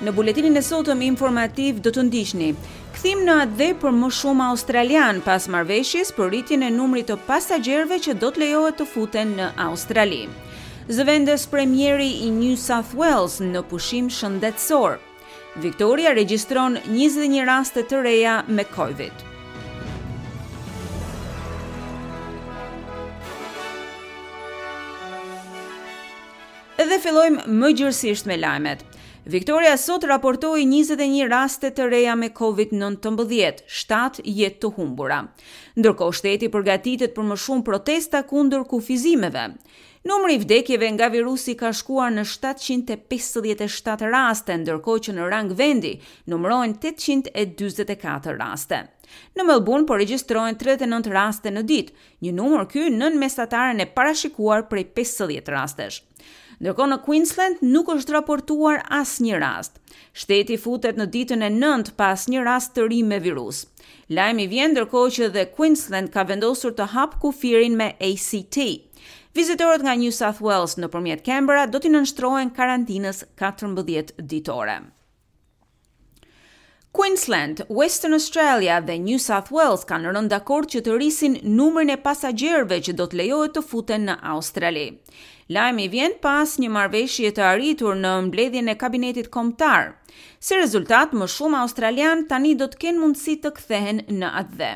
Në buletinin e sotëm informativ do të ndiqni kthim në atdhe për më shumë australianë pas marrëveshjes për rritjen e numrit të pasagjerëve që do të lejohet të futen në Australi. Zëvendës premieri i New South Wales në pushim shëndetësor. Victoria regjistron 21 raste të reja me Covid. Dhe fillojmë më gjerësisht me lajmet. Victoria sot raportoi 21 raste të reja me COVID-19, 7 jetë të humbura. Ndërkohë shteti përgatitet për më shumë protesta kundër kufizimeve. Numri i vdekjeve nga virusi ka shkuar në 757 raste, ndërkohë që në rang vendi numërohen 844 raste. Në Melbourne po regjistrohen 39 raste në ditë, një numër ky nën mesataren e parashikuar prej 50 rastesh. Ndërkohë në Queensland nuk është raportuar asnjë rast. Shteti futet në ditën e 9 pa asnjë rast të ri me virus. Lajmi vjen ndërkohë që dhe Queensland ka vendosur të hapë kufirin me ACT. Vizitorët nga New South Wales nëpërmjet Canberra do t'i nënshtrohen karantinës 14 ditore. Queensland, Western Australia dhe New South Wales kanë rënë dakord që të rrisin numrin e pasagjerëve që do të lejohet të futen në Australi. Lajmi vjen pas një marrëveshje të arritur në mbledhjen e kabinetit kombëtar. Si rezultat, më shumë australianë tani do të kenë mundësi të kthehen në atdhe.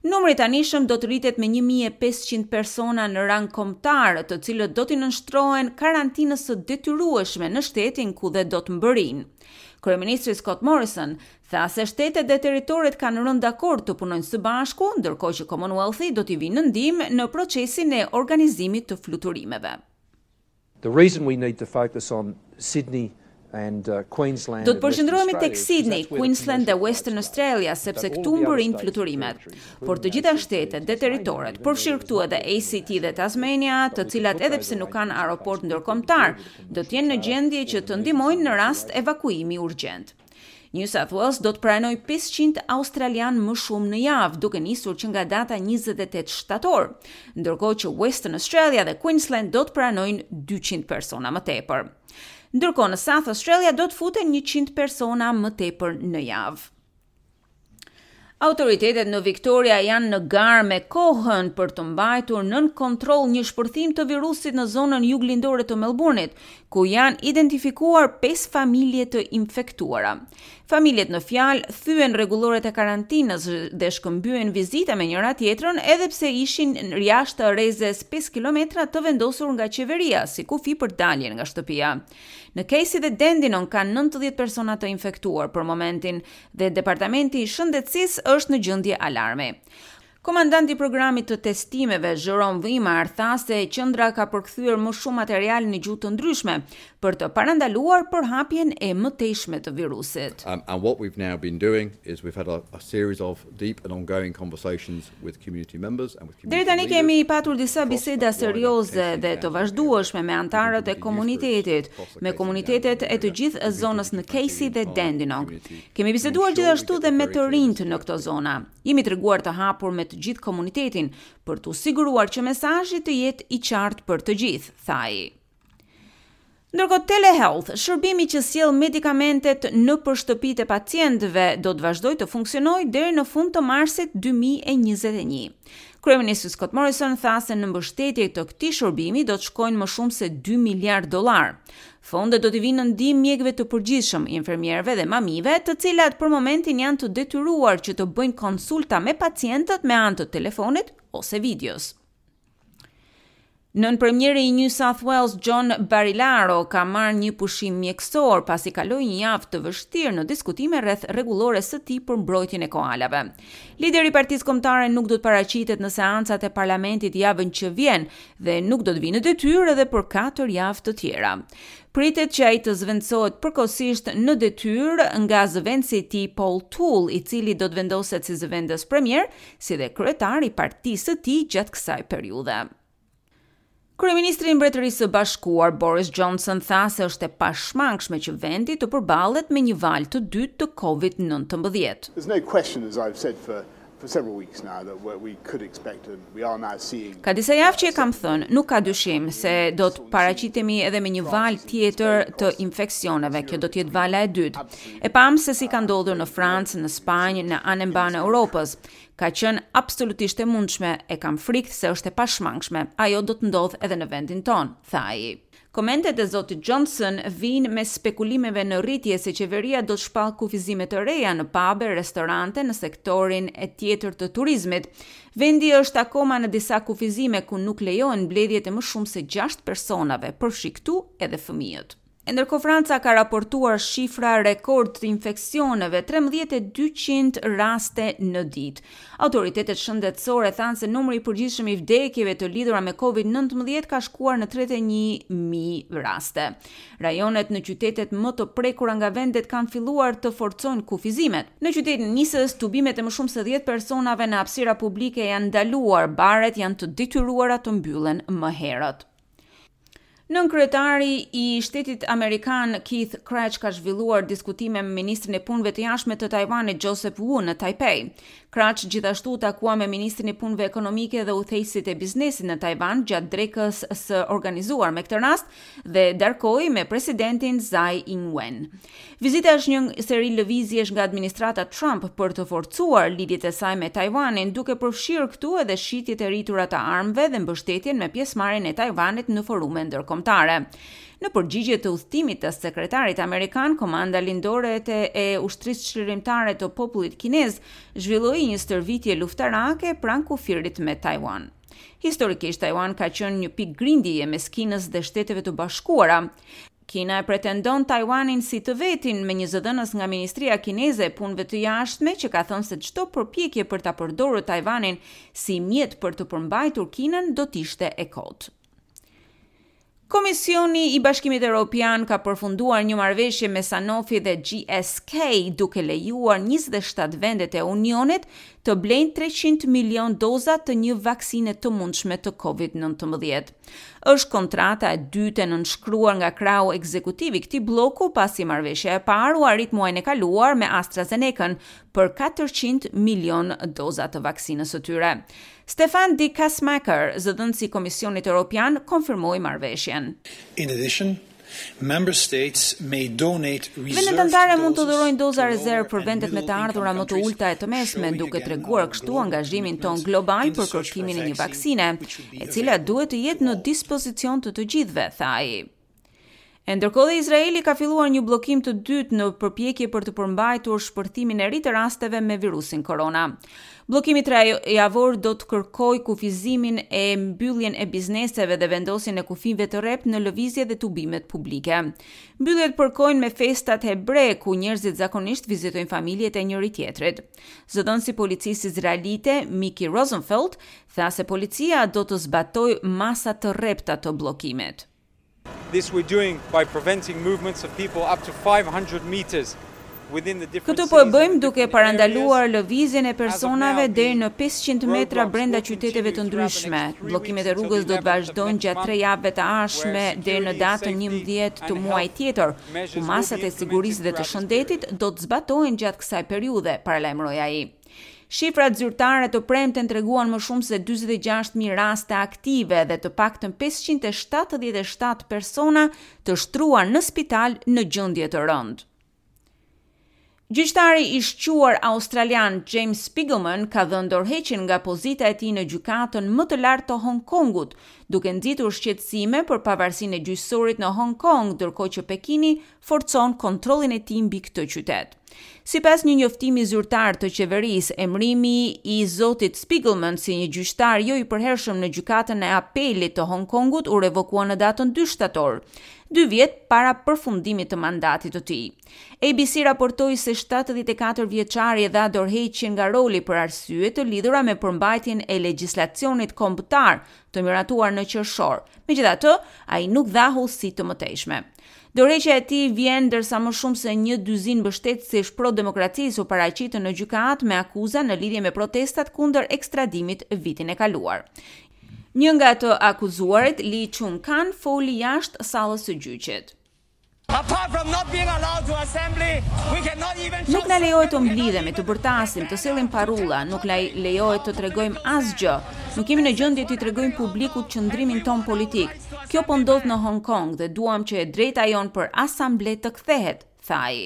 Numri i tanishëm do të rritet me 1500 persona në rang kombëtar, të cilët do t'i nënshtrohen karantinës së detyrueshme në shtetin ku dhe do të mbërrijnë. Kryeministri Scott Morrison tha se shtetet dhe territoret kanë rënë dakord të punojnë së bashku, ndërkohë që Commonwealthi do t'i vijë në ndihmë në procesin e organizimit të fluturimeve. The reason we need to focus on Sydney and uh, Queensland Do të përqendrohemi tek Sydney, Queensland dhe Western Australia, sepse këtu mbërrijnë fluturimet. Por të gjitha shtetet dhe territoret, përfshirë këtu edhe ACT dhe Tasmania, të cilat edhe pse nuk kanë aeroport ndërkombëtar, do të jenë në gjendje që të ndihmojnë në rast evakuimi urgjent. New South Wales do të pranojë 500 australian më shumë në javë, duke nisur që nga data 28 shtator, ndërkohë që Western Australia dhe Queensland do të pranojnë 200 persona më tepër. Ndërkohë në South Australia do të futen 100 persona më tepër në javë. Autoritetet në Victoria janë në garë me kohën për të mbajtur nën kontroll një shpërthim të virusit në zonën juglindore të Melbourne-it, ku janë identifikuar 5 familje të infektuara. Familjet në fjalë thyen rregulloret e karantinës dhe shkëmbyen vizita me njëra tjetrën edhe pse ishin jashtë rrezes 5 kilometra të vendosur nga qeveria si kufi për daljen nga shtëpia. Në Casey dhe Dandenong ka 90 persona të infektuar për momentin dhe Departamenti i Shëndetësisë është në gjendje alarmi. Komandanti i programit të testimeve, Jeroen Weimar, tha se qendra ka përkthyer më shumë material në gjuhë të ndryshme për të parandaluar përhapjen e mëtejshme të virusit. Um, and what we've now been doing is we've had a, a series of deep and ongoing conversations with community members and with community Deri tani kemi patur disa biseda serioze dhe të vazhdueshme me anëtarët e komunitetit, me komunitetet e të gjithë zonës në Casey dhe Dandenong. Kemi biseduar gjithashtu dhe me të rinjtë në këto zona. Jemi treguar të hapur me të gjithë komunitetin për t'u siguruar që mesazhi të jetë i qartë për të gjithë, tha ai. Ndërkohë telehealth, shërbimi që sjell medikamentet nëpër shtëpitë e pacientëve, do të vazhdojë të funksionojë deri në fund të marsit 2021. Kryeministri Scott Morrison tha se në mbështetje të këtij shërbimi do të shkojnë më shumë se 2 miliard dollar. Fondet do t'i vinë në ndihmë mjekëve të përgjithshëm, infermierëve dhe mamive, të cilat për momentin janë të detyruar që të bëjnë konsulta me pacientët me anë të telefonit ose videos. Nënpremieri i New South Wales John Barilaro ka marrë një pushim mjekësor pasi kaloi një javë të vështirë në diskutime rreth rregullores së tij për mbrojtjen e koalave. Lideri i Partisë Kombëtare nuk do të paraqitet në seancat e parlamentit javën që vjen dhe nuk do të vijë në detyrë edhe për 4 javë të tjera. Pritet që ai të zëvendësohet përkohësisht në detyrë nga zëvendësi i tij Paul Toole, i cili do të vendoset si zëvendës premier, si dhe kryetar i partisë së tij gjatë kësaj periudhe. Kryeministri i Mbretërisë së Bashkuar Boris Johnson tha se është e pashmangshme që vendi të përballet me një valë të dytë të COVID-19. There's no question as I've said for. For several weeks now that we could expect and we are now seeing Ka disa javë që e kam thënë, nuk ka dyshim se do të paraqitemi edhe me një valë tjetër të infeksioneve, kjo do të jetë vala e dytë. E pamë se si ka ndodhur në Francë, në Spanjë, në anembanë Europës. Ka qenë absolutisht e mundshme, e kam frikë se është e pashmangshme. Ajo do të ndodhë edhe në vendin tonë, tha ai. Komentet e zotit Johnson vijnë mes spekulimeve në rritje se qeveria do të shpallë kufizime të reja në pabe, restorante, në sektorin e tjetër të turizmit. Vendi është akoma në disa kufizime ku nuk lejohen mbledhjet e më shumë se 6 personave, përfshi këtu edhe fëmijët. E ndërkohë Franca ka raportuar shifra rekord të infeksioneve, 13.200 raste në ditë. Autoritetet shëndetësore thanë se numri i përgjithshëm i vdekjeve të lidhura me COVID-19 ka shkuar në 31.000 raste. Rajonet në qytetet më të prekura nga vendet kanë filluar të forcojnë kufizimet. Në qytetin e Nisës, tubimet e më shumë se 10 personave në hapësira publike janë ndaluar, baret janë të detyruara të mbyllen më herët. Nënkryetari i shtetit amerikan Keith Krach ka zhvilluar diskutime me ministrin e punëve të jashtme të Tajvanit Joseph Wu në Taipei. Krach gjithashtu u takua me ministrin e punëve ekonomike dhe udhëheqësit e biznesit në Tajvan gjatë drekës së organizuar me këtë rast dhe darkoi me presidentin Tsai Ing-wen. Vizita është një seri lëvizjesh nga administrata Trump për të forcuar lidhjet e saj me Tajvanin, duke përfshirë këtu edhe shitjet e rritura të armëve dhe mbështetjen me pjesëmarrjen e Tajvanit në forume ndërkombëtare. Në përgjigje të udhëtimit të sekretarit amerikan, Komanda Lindore e Ushtrisë Çlirimtare të Popullit Kinez zhvilloi një stërvitje luftarake pranë kufirit me Taiwan. Historikisht, Taiwan ka qenë një pikë grindjeje mes Kinës dhe Shteteve të Bashkuara. Kina e pretendon Taiwanin si të vetin, me një zëdhënës nga Ministria Kineze e Punëve të Jashtme që ka thënë se çdo përpjekje për ta përdorur Taiwanin si mjet për të përmbajtur Kinën do të ishte e kotë. Komisioni i Bashkimit Evropian ka përfunduar një marrëveshje me Sanofi dhe GSK, duke lejuar 27 vendet e Unionit të blejnë 300 milion doza të një vaksine të mundshme të COVID-19. Është kontrata e dytë e nënshkruar nga krahu ekzekutiv i këtij blloku pasi marrëveshja e parë u arrit muajin e kaluar me AstraZeneca-n për 400 milion doza të vaksinës së tyre. Stefan de Kaesmaeker, zëdhënësi i Komisionit Evropian, konfirmoi marrëveshjen. In addition, Member states may donate Vendet anëtare mund të dhurojnë doza rezervë për vendet me të ardhura më të ulëta e të mesme, duke treguar kështu angazhimin tonë global për kërkimin e një vaksine, e cila duhet të jetë në dispozicion të të gjithëve, tha ai. E ndërkohë dhe Izraeli ka filluar një bllokim të dytë në përpjekje për të përmbajtur shpërthimin e ri të rasteve me virusin korona. Bllokimi trejavor do të kërkojë kufizimin e mbylljen e bizneseve dhe vendosjen e kufijve të rreptë në lëvizje dhe tubimet publike. Mbylljet përkojnë me festat hebre, ku njerëzit zakonisht vizitojnë familjet e njëri-tjetrit. Zëdhënësi i policisë izraelite, Miki Rosenfeld, tha se policia do të zbatojë masa të rrepta të bllokimit. This we're doing by preventing movements of people up to 500 meters within the different Këtë po e bëjmë duke parandaluar lëvizjen e personave deri në 500 metra brenda qyteteve të ndryshme. Bllokimet e rrugës do të vazhdojnë gjatë tre javëve të ardhshme deri në datën 11 të muajit tjetër, ku masat e sigurisë dhe të shëndetit do të zbatohen gjatë kësaj periudhe, paralajmëroi ai. Shifrat zyrtare të premten treguan më shumë se 46.000 raste aktive dhe të paktën 577 persona të shtruar në spital në gjendje të rëndë. Gjyqtari i shquar australian James Spigelman ka dhënë dorëheqjen nga pozita e tij në gjykatën më të lartë të Hong Kongut, duke nxitur shqetësime për pavarësinë e gjyqësorit në Hong Kong, ndërkohë që Pekini forcon kontrollin e tij mbi këtë qytet. Sipas një njoftimi zyrtar të qeverisë, emërimi i zotit Spigelman si një gjyqtar jo i përhershëm në gjykatën e apelit të Hong Kongut u revokua në datën 2 shtator, dy vjet para përfundimit të mandatit të tij. ABC raportoi se 74 vjeçari dha dorëheqjen nga roli për arsye të lidhura me përmbajtjen e legjislacionit kombëtar të miratuar në qershor. Megjithatë, ai nuk dha hollësi të mëtejshme. Dorëheqja e tij vjen ndërsa më shumë se një dyzinë mbështetësish pro-demokracisë u paraqitën në gjykatë me akuza në lidhje me protestat kundër ekstradimit vitin e kaluar. Një nga të akuzuarit, Lee Chung Kan, foli jashtë sallës së gjyqit. Apart from not being allowed to assembly, we cannot even Nuk na lejohet të mblidhemi, të bërtasim, të sjellim parulla, nuk na lejohet të tregojmë asgjë. Nuk jemi në gjendje t'i tregojmë publikut qëndrimin tonë politik. Kjo po ndodh në Hong Kong dhe duam që e drejta jonë për asamble të kthehet, tha ai.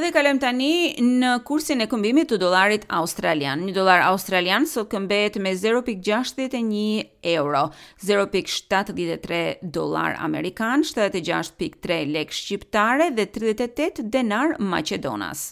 Dhe kalojmë tani në kursin e këmbimit të dollarit australian. Një dollar australian sot këmbehet me 0.61 euro, 0.73 dollar amerikan, 76.3 lek shqiptare dhe 38 denar maqedonas.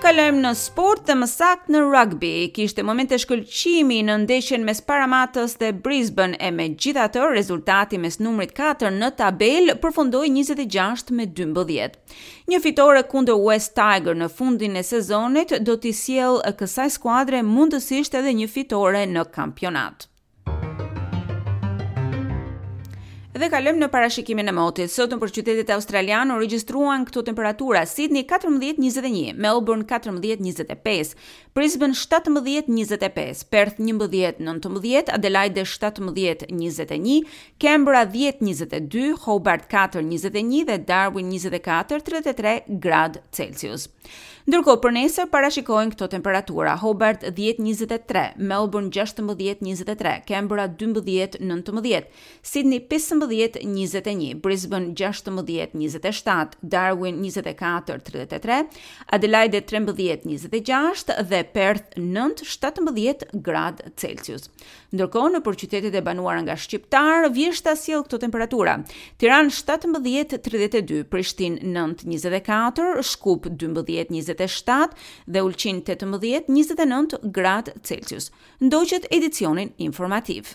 Kalojmë në sport dhe më saktë në rugby. Kishte momente shkëlqimi në ndeshjen mes Parramatës dhe Brisbane e megjithatë rezultati mes numrit 4 në tabelë përfundoi 26 me 12. Një fitore kundër Wests Tigers në fundin e sezonit do t'i sjellë kësaj skuadre mundësisht edhe një fitore në kampionat. Dhe kalojmë në parashikimin e motit. Sot nëpër qytetet australiane u regjistruan këto temperatura: Sydney 14-21, Melbourne 14-25, Brisbane 17-25, Perth 11-19, Adelaide 17-21, Canberra 10-22, Hobart 4-21 dhe Darwin 24-33 gradë Celsius. Ndërkohë për nesër parashikohen këto temperatura: Hobart 10-23, Melbourne 16-23, Canberra 12-19, Sydney 15-21, Brisbane 16-27, Darwin 24-33, Adelaide 13-26 dhe Perth 9-17 gradë Celsius. Ndërkohë, nëpër qytetet e banuara nga shqiptarë, vjeshta sjell këto temperatura: Tiranë 17 32, Prishtinë 9 24, Shkup 12 27 dhe Ulqin 18 29 gradë Celsius. Ndoqët edicionin informativ.